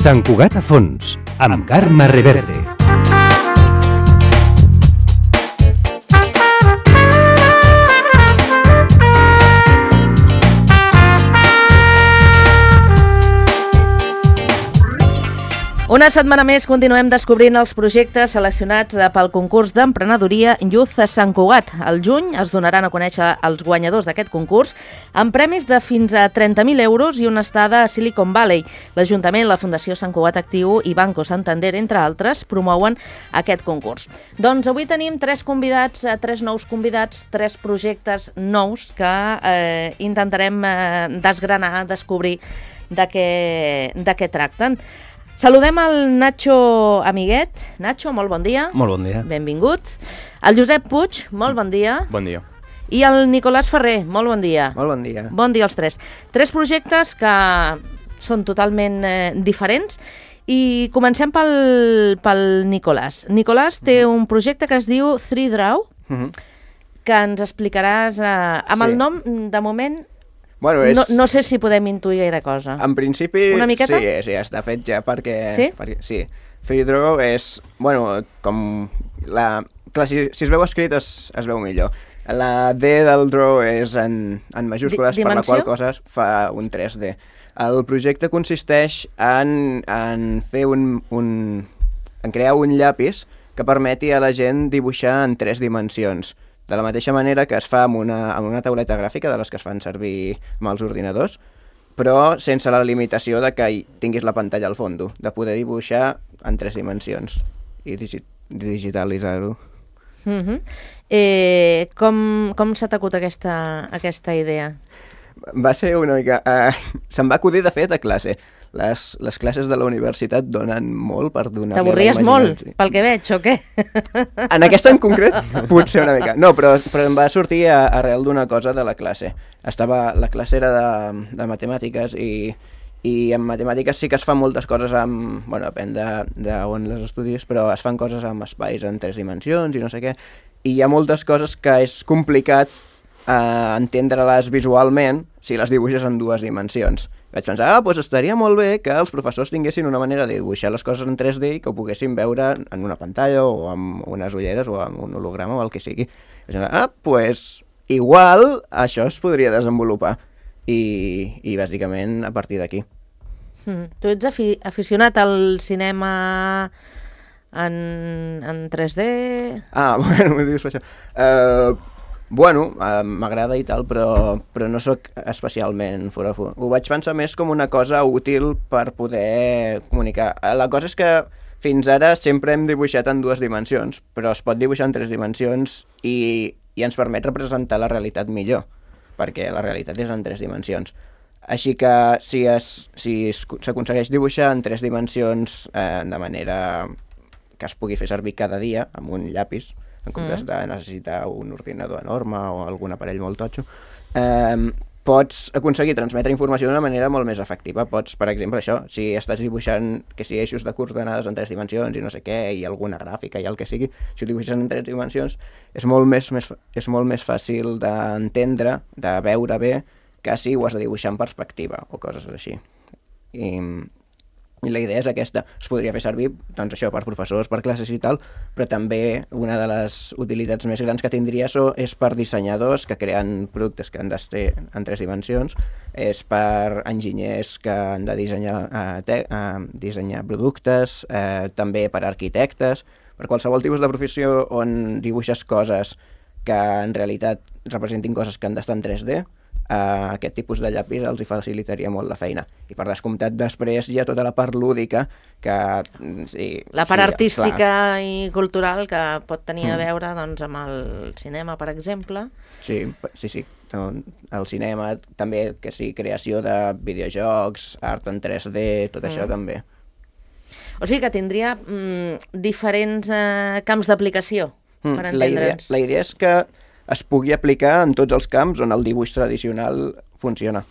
Sant Cugat a fons, amb Carme Reverte. Una setmana més continuem descobrint els projectes seleccionats pel concurs d'emprenedoria Youth a Sant Cugat. Al juny es donaran a conèixer els guanyadors d'aquest concurs amb premis de fins a 30.000 euros i una estada a Silicon Valley. L'Ajuntament, la Fundació Sant Cugat Actiu i Banco Santander, entre altres, promouen aquest concurs. Doncs avui tenim tres nous convidats, tres projectes nous que intentarem desgranar, descobrir de què tracten. Saludem el Nacho Amiguet. Nacho, molt bon dia. Molt bon dia. Benvingut. El Josep Puig, molt bon dia. Bon dia. I el Nicolàs Ferrer, molt bon dia. Molt bon dia. Bon dia als tres. Tres projectes que són totalment diferents i comencem pel Nicolàs. Nicolàs té un projecte que es diu 3Draw, que ens explicaràs amb el nom, de moment... Bueno, no sé si podem intuir gaire cosa. En principi, una miqueta? Sí, està fet ja perquè... Sí? Sí. 3Draw és, bueno, com la... Clar, si es veu escrit es veu millor. La D del draw és en majúscules, per la qual cosa fa un 3D. El projecte consisteix en fer en crear un llapis que permeti a la gent dibuixar en 3 dimensions. De la mateixa manera que es fa amb una tauleta gràfica de les que es fan servir amb els ordinadors, però sense la limitació de que tinguis la pantalla al fons, de poder dibuixar en 3 dimensions i digitalitzar-ho. Com s'ha acut aquesta idea? Va ser una mica... se'm va acudir, de fet, a classe. Les classes de la universitat donen molt per donar-li a la T'avorries imaginació. molt, pel que veig, o què? En aquesta en concret, potser una mica. No, però em va sortir arrel d'una cosa de la classe. La classe era de matemàtiques i en matemàtiques sí que es fan moltes coses amb... Bueno, depèn d'on les estudis, però es fan coses amb espais en 3 dimensions i no sé què. I hi ha moltes coses que és complicat entendre-les visualment si les dibuixes en 2 dimensions. Vaig pensar, doncs estaria molt bé que els professors tinguessin una manera de dibuixar les coses en 3D i que ho poguessin veure en una pantalla o amb unes ulleres o amb un holograma o el que sigui. Vaig pensar, doncs igual això es podria desenvolupar. I bàsicament a partir d'aquí. Tu ets aficionat al cinema en 3D? Bueno, m'ho dius per això. Bueno, m'agrada i tal, però no sóc especialment foròfon. Ho vaig pensar més com una cosa útil per poder comunicar. La cosa és que fins ara sempre hem dibuixat en 2 dimensions, però es pot dibuixar en 3 dimensions i ens permet representar la realitat millor, perquè la realitat és en 3 dimensions. Així que si s'aconsegueix dibuixar en 3 dimensions de manera que es pugui fer servir cada dia amb un llapis, en comptes de necessitar un ordinador enorme o algun aparell molt totxo, pots aconseguir transmetre informació d'una manera molt més efectiva. Pots, per exemple, això, si estàs dibuixant eixos de coordenades en 3 dimensions i no sé què, i alguna gràfica i el que sigui, si ho dibuixes en 3 dimensions és molt més fàcil d'entendre, de veure bé, que si ho has de dibuixar en perspectiva o coses així. I la idea és aquesta. Es podria fer servir, doncs això, per professors, per classes i tal, però també una de les utilitats més grans que tindria és per dissenyadors que creen productes que han de ser en 3 dimensions, és per enginyers que han de dissenyar productes, també per arquitectes, per qualsevol tipus de professió on dibuixes coses que en realitat representin coses que han d'estar en 3D, aquest tipus de llapis els hi facilitaria molt la feina. I per descomptat després hi ha tota la part lúdica que... La part artística i cultural que pot tenir a veure doncs, amb el cinema, per exemple. Sí. El cinema, també, que sí, creació de videojocs, art en 3D, tot això també. O sigui que tindria diferents camps d'aplicació, per entendre'ns. La idea és que es pugui aplicar en tots els camps on el dibuix tradicional funciona,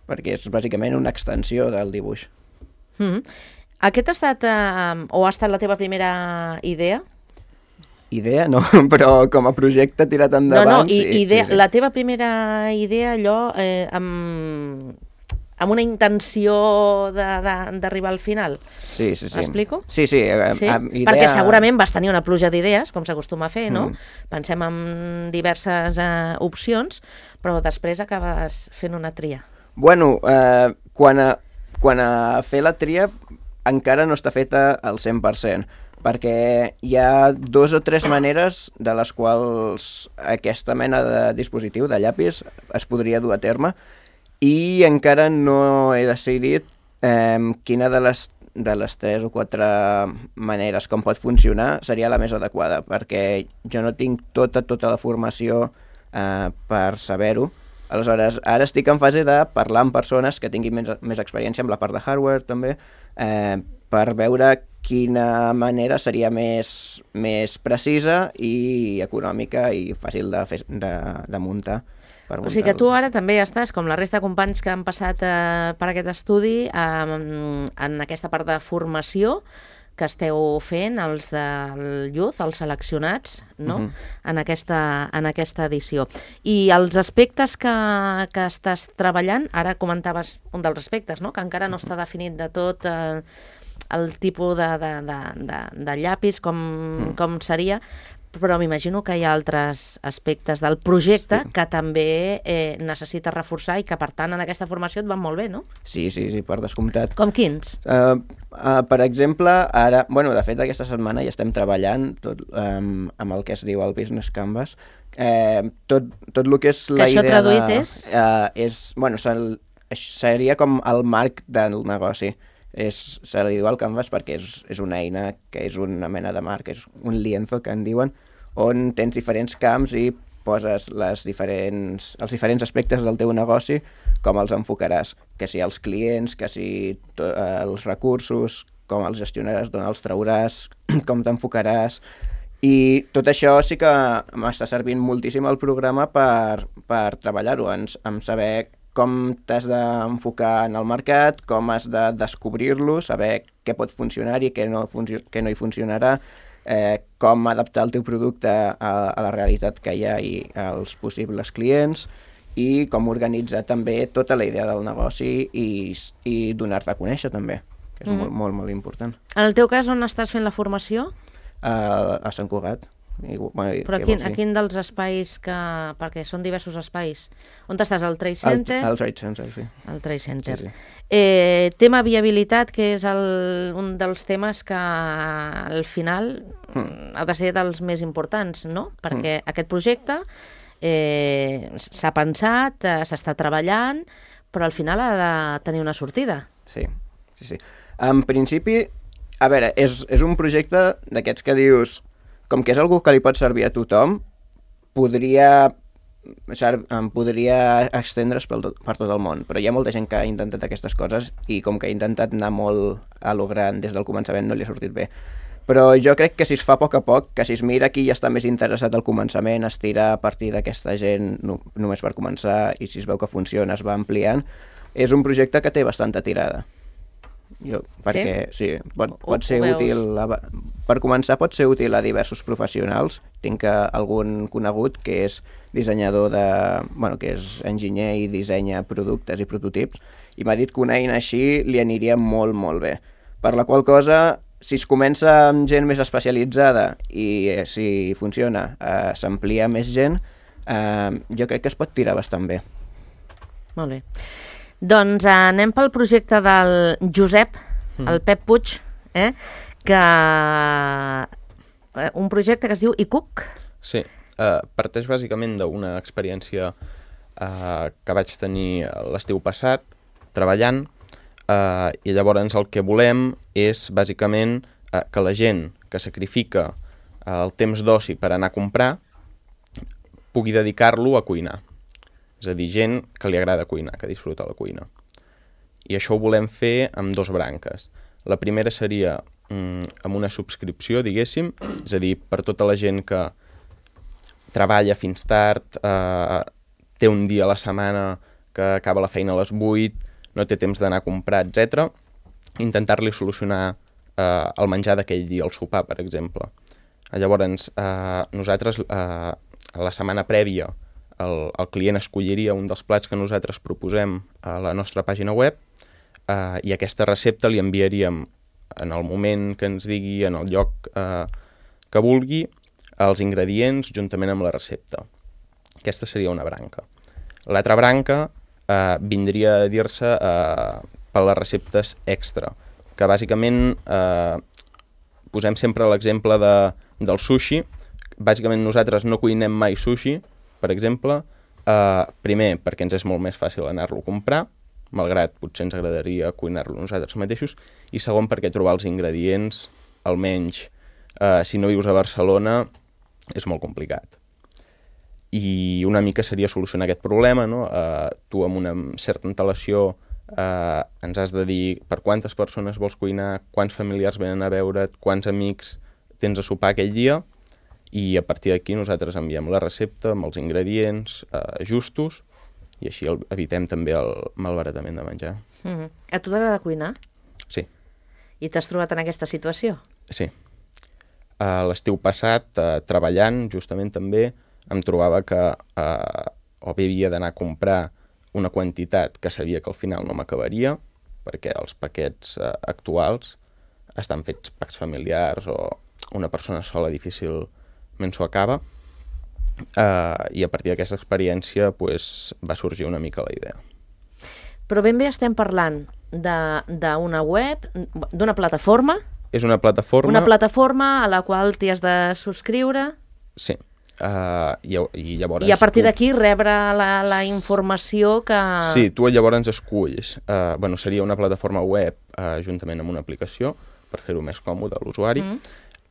perquè és bàsicament una extensió del dibuix. Aquest ha estat la teva primera idea? idea, no, però com a projecte tirat endavant... Sí. La teva primera idea, allò, amb una intenció d'arribar al final. Sí. M'explico? Sí. Idea... Perquè segurament vas tenir una pluja d'idees, com s'acostuma a fer, no? Pensem en diverses opcions, però després acabes fent una tria. Bueno, quan a fer la tria encara no està feta al 100%, perquè hi ha 2 o 3 maneres de les quals aquesta mena de dispositiu, de llapis, es podria dur a terme, i encara no he decidit quina de les 3 o 4 maneres com pot funcionar seria la més adequada, perquè jo no tinc tota la formació per saber-ho. Aleshores, ara estic en fase de parlar amb persones que tinguin més experiència amb la part de hardware també, per veure quina manera seria més precisa i econòmica i fàcil de muntar. O sigui que tu ara també estàs, com la resta de companys que han passat per aquest estudi, en aquesta part de formació que esteu fent, els del Youth, els seleccionats, no? En aquesta edició. I els aspectes que estàs treballant, ara comentaves un dels aspectes, no? Que encara no està definit de tot el tipus de llapis, com seria, però m'imagino que hi ha altres aspectes del projecte que també necessites reforçar i que, per tant, en aquesta formació et van molt bé, no? Sí, per descomptat. Com quins? Per exemple, ara... Bueno, de fet, aquesta setmana ja estem treballant amb el que es diu el Business Canvas. Tot el que és la idea... Que això traduït és? Bueno, seria com el marc del negoci. Se li diu el Canvas perquè és una eina que és una mena de marc, és un lienzo que en diuen, on tens diferents camps i poses els diferents aspectes del teu negoci, com els enfocaràs, que si els clients, que si els recursos, com els gestionaràs, d'on els trauràs, com t'enfocaràs. I tot això sí que m'està servint moltíssim el programa per treballar-ho, en saber com t'has d'enfocar en el mercat, com has de descobrir-lo, saber què pot funcionar i què no hi funcionarà, com adaptar el teu producte a la realitat que hi ha i als possibles clients, i com organitzar també tota la idea del negoci i donar-te a conèixer també, que és molt, molt important. En el teu cas, on estàs fent la formació? A Sant Cugat. Però a quin dels espais perquè són diversos espais, on estàs? Al Trade Center? Al Trade Center, sí. Al Trade Center. Sí. Tema viabilitat, que és un dels temes que al final ha de ser dels més importants, no? Perquè aquest projecte s'ha pensat, s'està treballant, però al final ha de tenir una sortida. Sí. En principi, a veure, és un projecte d'aquests que dius, com que és algú que li pot servir a tothom, podria estendre's per tot el món, però hi ha molta gent que ha intentat aquestes coses i com que ha intentat anar molt a lo gran des del començament no li ha sortit bé. Però jo crec que si es fa a poc, que si es mira qui ja està més interessat al començament, es tira a partir d'aquesta gent només per començar i si es veu que funciona es va ampliant, és un projecte que té bastanta tirada. Perquè sí, pot ser útil per començar, pot ser útil a diversos professionals. Tinc algun conegut que és dissenyador que és enginyer i dissenya productes i prototips i m'ha dit que una eina així li aniria molt, molt bé. Per la qual cosa, si es comença amb gent més especialitzada i si funciona, s'amplia més gent, jo crec que es pot tirar bastant bé. Molt bé. Doncs anem pel projecte del Josep, el Pep Puig, que un projecte que es diu iCook. Sí, parteix bàsicament d'una experiència que vaig tenir l'estiu passat treballant i llavors el que volem és bàsicament que la gent que sacrifica el temps d'oci per anar a comprar pugui dedicar-lo a cuinar. És a dir, gent que li agrada cuinar, que disfruta la cuina. I això ho volem fer amb 2 branques. La primera seria amb una subscripció, diguéssim, és a dir, per tota la gent que treballa fins tard, té un dia a la setmana que acaba la feina a les 8, no té temps d'anar a comprar, etc. Intentar-li solucionar el menjar d'aquell dia, el sopar, per exemple. Llavors, nosaltres, la setmana prèvia, el client escolliria un dels plats que nosaltres proposem a la nostra pàgina web i aquesta recepta li enviaríem en el moment que ens digui, en el lloc que vulgui, els ingredients juntament amb la recepta. Aquesta seria una branca. L'altra branca vindria a dir-se per les receptes extra, que bàsicament posem sempre l'exemple del sushi. Bàsicament nosaltres no cuinem mai sushi, per exemple, primer perquè ens és molt més fàcil anar-lo a comprar, malgrat potser ens agradaria cuinar-lo nosaltres mateixos, i segon perquè trobar els ingredients, almenys si no vius a Barcelona, és molt complicat. I una mica seria solucionar aquest problema, no? Tu amb una certa antelació ens has de dir per quantes persones vols cuinar, quants familiars venen a veure't, quants amics tens a sopar aquell dia, i a partir d'aquí nosaltres enviem la recepta amb els ingredients justos i així evitem també el malbaratament de menjar. A tu t'agrada cuinar? Sí. I t'has trobat en aquesta situació? Sí. L'estiu passat, treballant justament també, em trobava que o bé havia d'anar a comprar una quantitat que sabia que al final no m'acabaria, perquè els paquets actuals estan fets packs familiars o una persona sola difícilment s'ho acaba, i a partir d'aquesta experiència va sorgir una mica la idea. Però ben bé estem parlant d'una web, d'una plataforma? És una plataforma... Una plataforma a la qual t'hi has de subscriure? Sí. I llavors... I a partir d'aquí rebre la informació que... Sí, tu llavors esculls. Seria una plataforma web juntament amb una aplicació per fer-ho més còmode a l'usuari.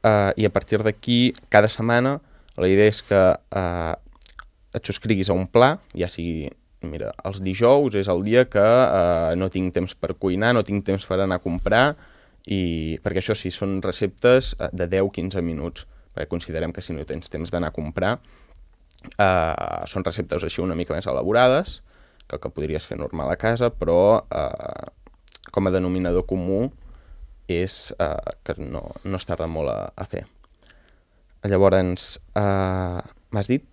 I a partir d'aquí, cada setmana, la idea és que et subscriguis a un pla, ja sigui, mira, els dijous és el dia que no tinc temps per cuinar, no tinc temps per anar a comprar, perquè això sí, són receptes de 10-15 minuts, perquè considerem que si no tens temps d'anar a comprar, són receptes així una mica més elaborades, que el que podries fer normal a casa, però com a denominador comú és que no es tarda molt a fer. Llavors, m'has dit?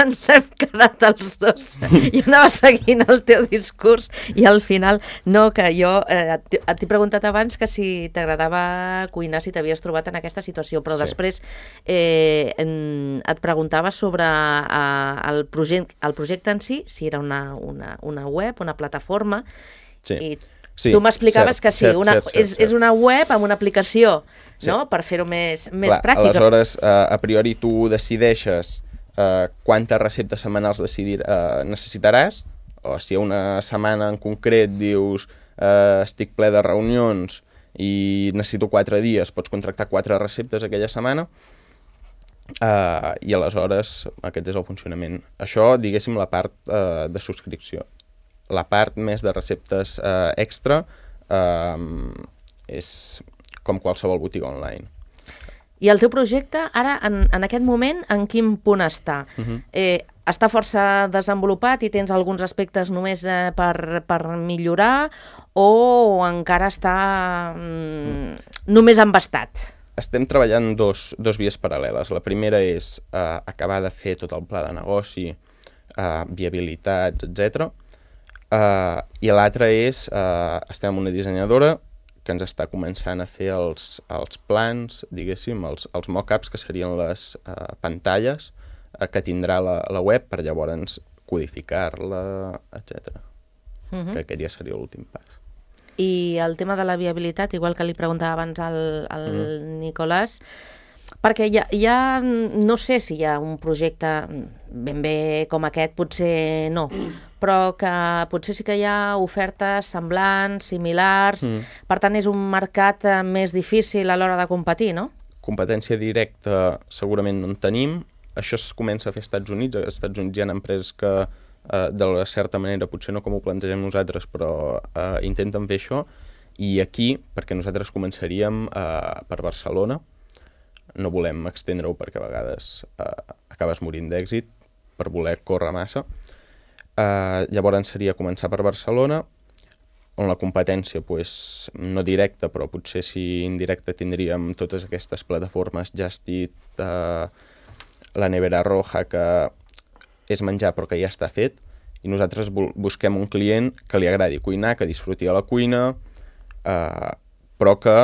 Ens hem quedat els dos. Jo anava seguint el teu discurs i al final, no, que jo t'he preguntat abans que si t'agradava cuinar, si t'havies trobat en aquesta situació, però sí. Després et preguntava sobre el projecte en si era una web, una plataforma, sí. I sí, tu m'explicaves que sí, és una web amb una aplicació, sí. No? Per fer-ho més pràctic. Aleshores, a priori tu decideixes quantes receptes setmanals necessitaràs, o si una setmana en concret dius estic ple de reunions i necessito 4 dies, pots contractar 4 receptes aquella setmana, i aleshores aquest és el funcionament. Això, diguéssim, la part de subscripció. La part més de receptes extra és com qualsevol botiga online. I el teu projecte, ara, en aquest moment, en quin punt està? Està força desenvolupat i tens alguns aspectes només per millorar o encara està només embastat? Estem treballant dos vies paral·leles. La primera és acabar de fer tot el pla de negoci, viabilitats, etc. I l'altra és, estem amb una dissenyadora que ens està començant a fer els plans, diguéssim, els mock-ups, que serien les pantalles que tindrà la web per llavors codificar-la, etc. Que aquest ja seria l'últim pas. I el tema de la viabilitat, igual que li preguntava abans al Nicolàs, perquè ja no sé si hi ha un projecte ben bé com aquest, potser no, però que potser sí que hi ha ofertes semblants, similars, per tant és un mercat més difícil a l'hora de competir, no? Competència directa segurament no en tenim, això es comença a fer als Estats Units. Als Estats Units hi ha empreses que de certa manera, potser no com ho plantegem nosaltres, però intenten fer això, i aquí, perquè nosaltres començaríem per Barcelona, no volem extendre-ho perquè a vegades acabes morint d'èxit per voler córrer massa. Llavors seria començar per Barcelona, on la competència, pues, no directa, però potser si indirecta tindríem totes aquestes plataformes Just Eat, la Nevera Roja, que és menjar però que ja està fet, i nosaltres busquem un client que li agradi cuinar, que disfruti a la cuina, però que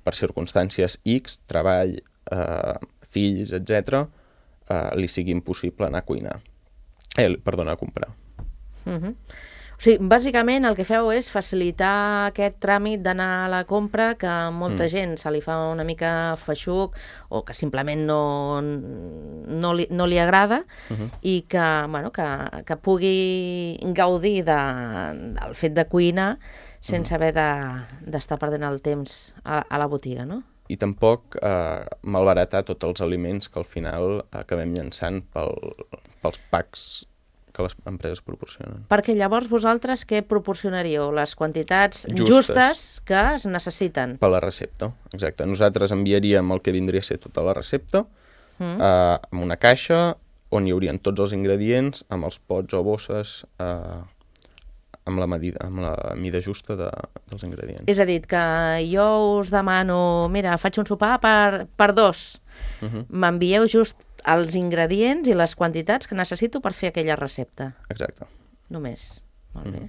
per circumstàncies X, treball, fills, etc., li sigui impossible anar a cuinar. A comprar. O sigui, bàsicament el que feu és facilitar aquest tràmit d'anar a la compra, que a molta gent se li fa una mica feixuc o que simplement no li agrada, i que, bueno, que pugui gaudir del fet de cuinar sense haver d'estar perdent el temps a la botiga, no? I tampoc malbaratar tots els aliments que al final acabem llançant pels packs que les empreses proporcionen. Perquè llavors vosaltres què proporcionaríeu? Les quantitats justes que es necessiten? Per la recepta, exacte. Nosaltres enviaríem el que vindria a ser tota la recepta amb una caixa on hi haurien tots els ingredients, amb els pots o bosses, amb la mida justa dels ingredients. És a dir, que jo us demano, mira, faig un sopar per dos. M'envieu just els ingredients i les quantitats que necessito per fer aquella recepta. Exacte. Només. Molt bé.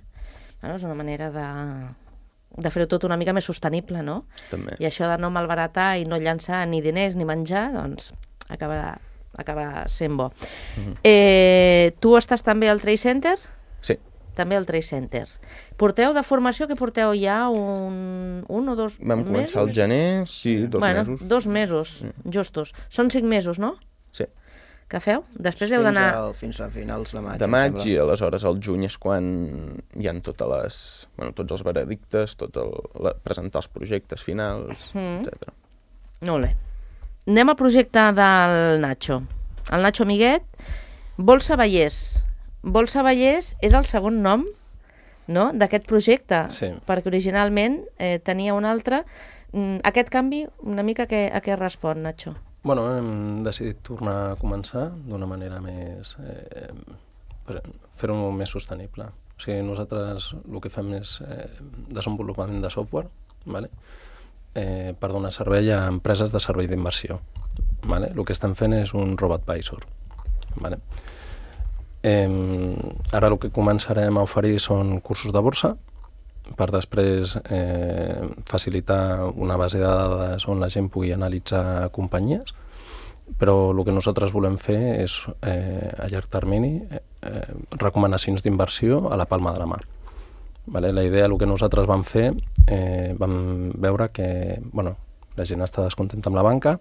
Bueno, és una manera de fer-ho tot una mica més sostenible, no? També. I això de no malbaratar i no llançar ni diners ni menjar, doncs acaba sent bo. Tu estàs també al Trade Center? Sí. També al Trade Center. Porteu de formació, que porteu ja un o dos mesos? Vam començar al gener, sí, 2 mesos. 2 mesos, justos. Són 5 mesos, no? Sí. Que feu? Després heu d'anar... Fins a finals de maig. De maig, i aleshores al juny és quan hi ha tots els veredictes, presentar els projectes finals, etc. Molt bé. Anem al projecte del Nacho. El Nacho Amiguet, Bolsa Vallès. Bolsa Vallès és el segon nom, no?, d'aquest projecte, sí, perquè originalment tenia un altre. Aquest canvi, una mica a què respon, Nacho? Bueno, hem decidit tornar a començar d'una manera més... fer-ho més sostenible. O sigui, nosaltres el que fem és desenvolupament de software, ¿vale? Per donar servei a empreses de servei d'inversió. ¿Vale? El que estem fent és un robo-advisor. ¿Vale? Ara el que començarem a oferir són cursos de borsa, per després facilitar una base de dades on la gent pugui analitzar companyies, però el que nosaltres volem fer és, a llarg termini, recomanacions d'inversió a la palma de la mà. Vale? La idea, el que nosaltres vam fer, vam veure que la gent està descontenta amb la banca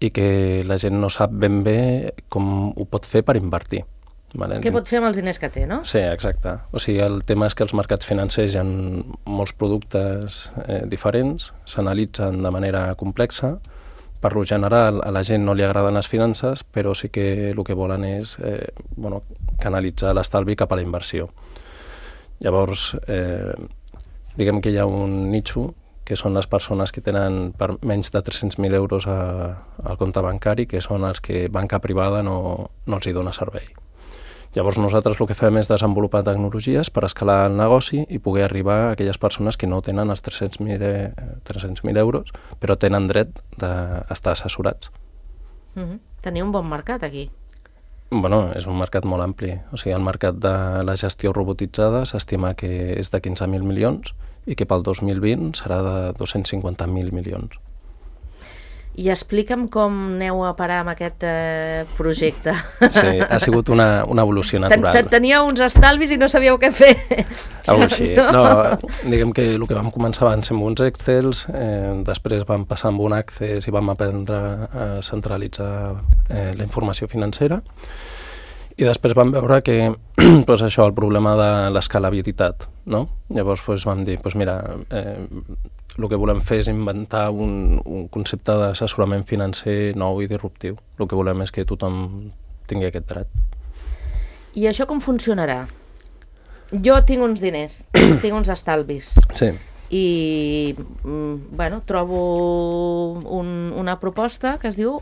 i que la gent no sap ben bé com ho pot fer per invertir. Vale? Què pot fer amb els diners que té, no? Sí, exacte. O sigui, el tema és que els mercats financers hi ha molts productes diferents, s'analitzen de manera complexa. Per lo general, a la gent no li agraden les finances, però sí que el que volen és canalitzar l'estalvi cap a la inversió. Llavors, diguem que hi ha un nicho, que són les persones que tenen per menys de 300.000 euros al compte bancari, que són els que banca privada no els hi dona servei. Llavors nosaltres el que fem és desenvolupar tecnologies per escalar el negoci i poder arribar a aquelles persones que no tenen els 300.000 euros, però tenen dret d'estar assessorats. Teniu un bon mercat aquí. Bueno, és un mercat molt ampli. O sigui, el mercat de la gestió robotitzada s'estima que és de 15.000 milions i que pel 2020 serà de 250.000 milions. I explica'm com aneu a parar amb aquest projecte. Sí, ha sigut una evolució natural. Teníeu uns estalvis i no sabíeu què fer. Algo així. No, diguem que el que vam començar van ser amb uns Excels, després vam passar amb un Access i vam aprendre a centralitzar la informació financera, i després vam veure que això, el problema de l'escalabilitat, no? Llavors vam dir, mira, el que volem fer és inventar un concepte d'assessorament financer nou i disruptiu. El que volem és que tothom tingui aquest dret. I això com funcionarà? Jo tinc uns diners, tinc uns estalvis. Sí. I, trobo una proposta que es diu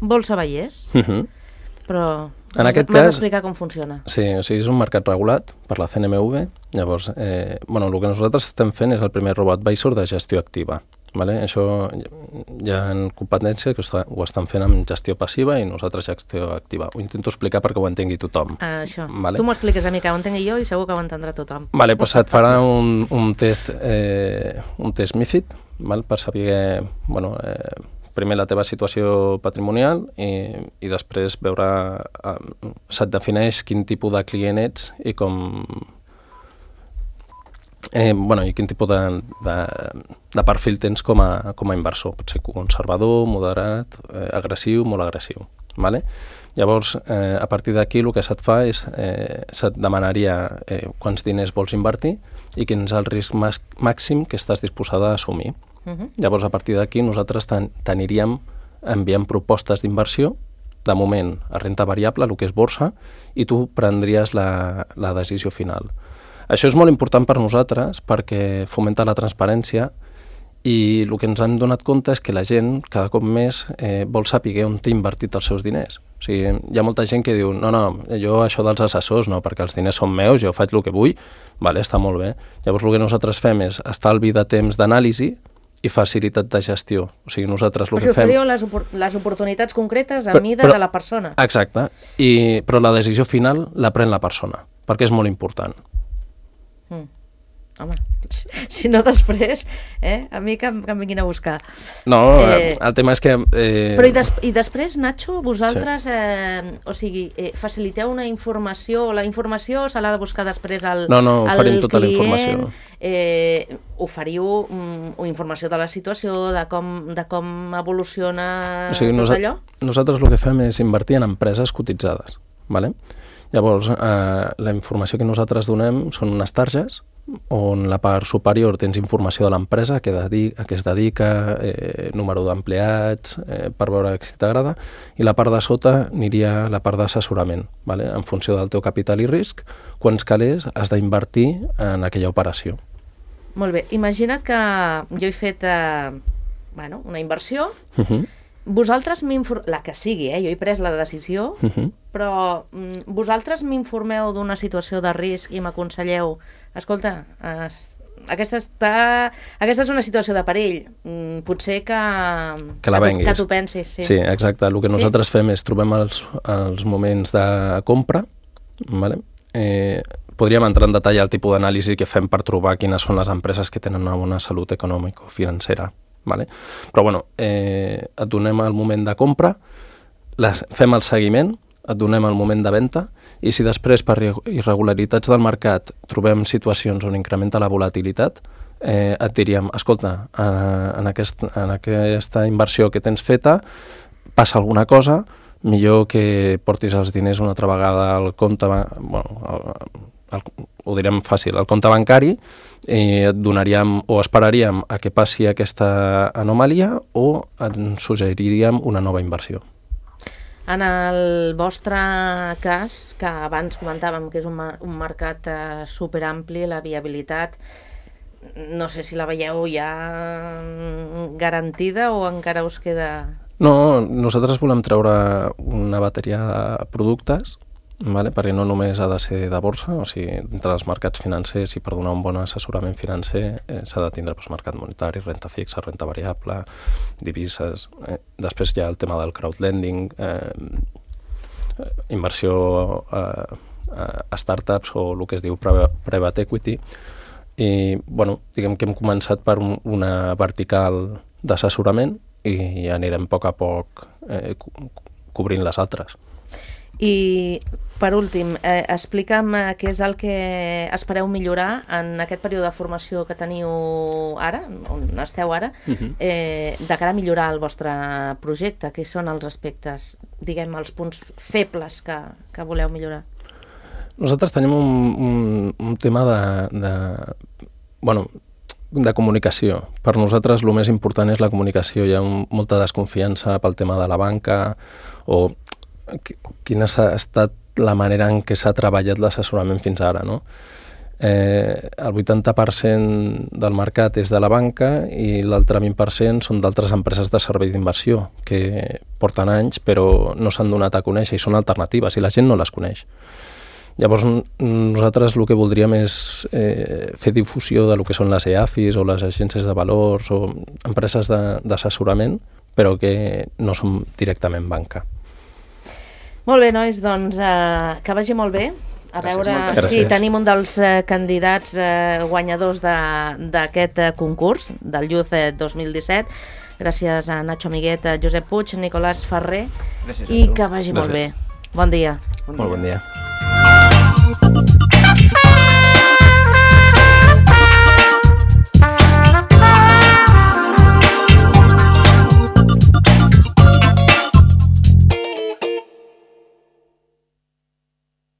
Bolsa Vallès. Però M'has d'explicar com funciona. Sí, o sigui, és un mercat regulat per la CNMV. Llavors, el que nosaltres estem fent és el primer RoboAdvisor de gestió activa. Vale? Això hi ha competència que ho estan fent amb gestió passiva i nosaltres gestió activa. Ho intento explicar perquè ho entengui tothom. Això. Vale? Tu m'ho expliques a mi, que ho entengui jo i segur que ho entendrà tothom. Vale, doncs et farà un test MiFID, val? Per saber primer la teva situació patrimonial i després veure, se't defineix quin tipus de client ets i com... i quin tipus de perfil tens com a inversor. Pot ser conservador, moderat, agressiu, molt agressiu. Vale? Llavors, a partir d'aquí el que se't fa és, se't demanaria quants diners vols invertir i quin és el risc màxim que estàs disposada a assumir. Llavors, a partir d'aquí, nosaltres t'aniríem enviant propostes d'inversió, de moment a renta variable, el que és borsa, i tu prendries la decisió final. Això és molt important per nosaltres perquè fomenta la transparència i el que ens hem donat compte és que la gent cada cop més vol saber on té invertit els seus diners. O sigui, hi ha molta gent que diu no, jo això dels assessors no, perquè els diners són meus, jo faig el que vull, vale, està molt bé. Llavors el que nosaltres fem és estalvi de temps d'anàlisi i facilitat de gestió. O sigui, nosaltres el que fem... oferiu les oportunitats concretes a mida de la persona. Exacte, però la decisió final la pren la persona, perquè és molt important. Home, si no després, a mi que em vinguin a buscar. No, el tema és que... Però i després, Nacho, vosaltres, faciliteu una informació, la informació se l'ha de buscar després al client? No, oferim tota la informació. Oferiu informació de la situació, de com evoluciona tot allò? Nosaltres el que fem és invertir en empreses cotitzades, vale? Llavors, la informació que nosaltres donem són unes targes on la part superior tens informació de l'empresa, a què es dedica, número d'empleats, per veure si t'agrada, i la part de sota aniria la part d'assessorament, vale? En funció del teu capital i risc, quants calés has d'invertir en aquella operació. Molt bé, imagina't que jo he fet una inversió, vosaltres la que sigui, jo he pres la decisió, però vosaltres m'informeu d'una situació de risc i m'aconselleu, escolta, aquesta és una situació de perill, potser que la venguis. Que t'ho pensis. Sí, exacte. El que nosaltres fem és trobem els moments de compra, vale? Podríem entrar en detall al tipus d'anàlisi que fem per trobar quines són les empreses que tenen una bona salut econòmica o financera. Vale? Però et donem el moment de compra, fem el seguiment, et donem el moment de venda i si després per irregularitats del mercat trobem situacions on incrementa la volatilitat, et diríem, escolta, en aquesta inversió que tens feta passa alguna cosa, millor que portis els diners una altra vegada al compte, ho direm fàcil, al compte bancari, i et donaríem o esperaríem a que passi aquesta anomalia o et suggeriríem una nova inversió. En el vostre cas, que abans comentàvem que és un mercat superampli, la viabilitat, no sé si la veieu ja garantida o encara us queda... No, nosaltres volem treure una bateria de productes, vale? Perquè no només ha de ser de borsa, o sigui, entre els mercats financers i per donar un bon assessorament financer s'ha de tindre mercat monetari, renta fixa, renta variable, divises, després hi ha el tema del crowdlending, inversió a startups o el que es diu private equity, i diguem que hem començat per una vertical d'assessorament i anirem a poc cobrint les altres. I, per últim, explica'm què és el que espereu millorar en aquest període de formació que teniu ara, on esteu ara, de cara a millorar el vostre projecte. Què són els aspectes, diguem, els punts febles que voleu millorar? Nosaltres tenim un tema de comunicació. Per nosaltres el més important és la comunicació. Hi ha molta desconfiança pel tema de la banca o quina ha estat la manera en què s'ha treballat l'assessorament fins ara, no? El 80% del mercat és de la banca i l'altre 20% són d'altres empreses de servei d'inversió que porten anys però no s'han donat a conèixer i són alternatives i la gent no les coneix. Llavors nosaltres el que voldríem és fer difusió de lo que són les EAFIs o les agències de valors o empreses d'assessorament però que no són directament banca. Molt bé, nois, doncs que vagi molt bé. A veure si tenim un dels candidats guanyadors d'aquest concurs, del Youth 2017. Gràcies a Nacho Amiguet, a Josep Puig, Nicolás Ferrer, i que vagi molt bé. Bon dia. Molt bon dia.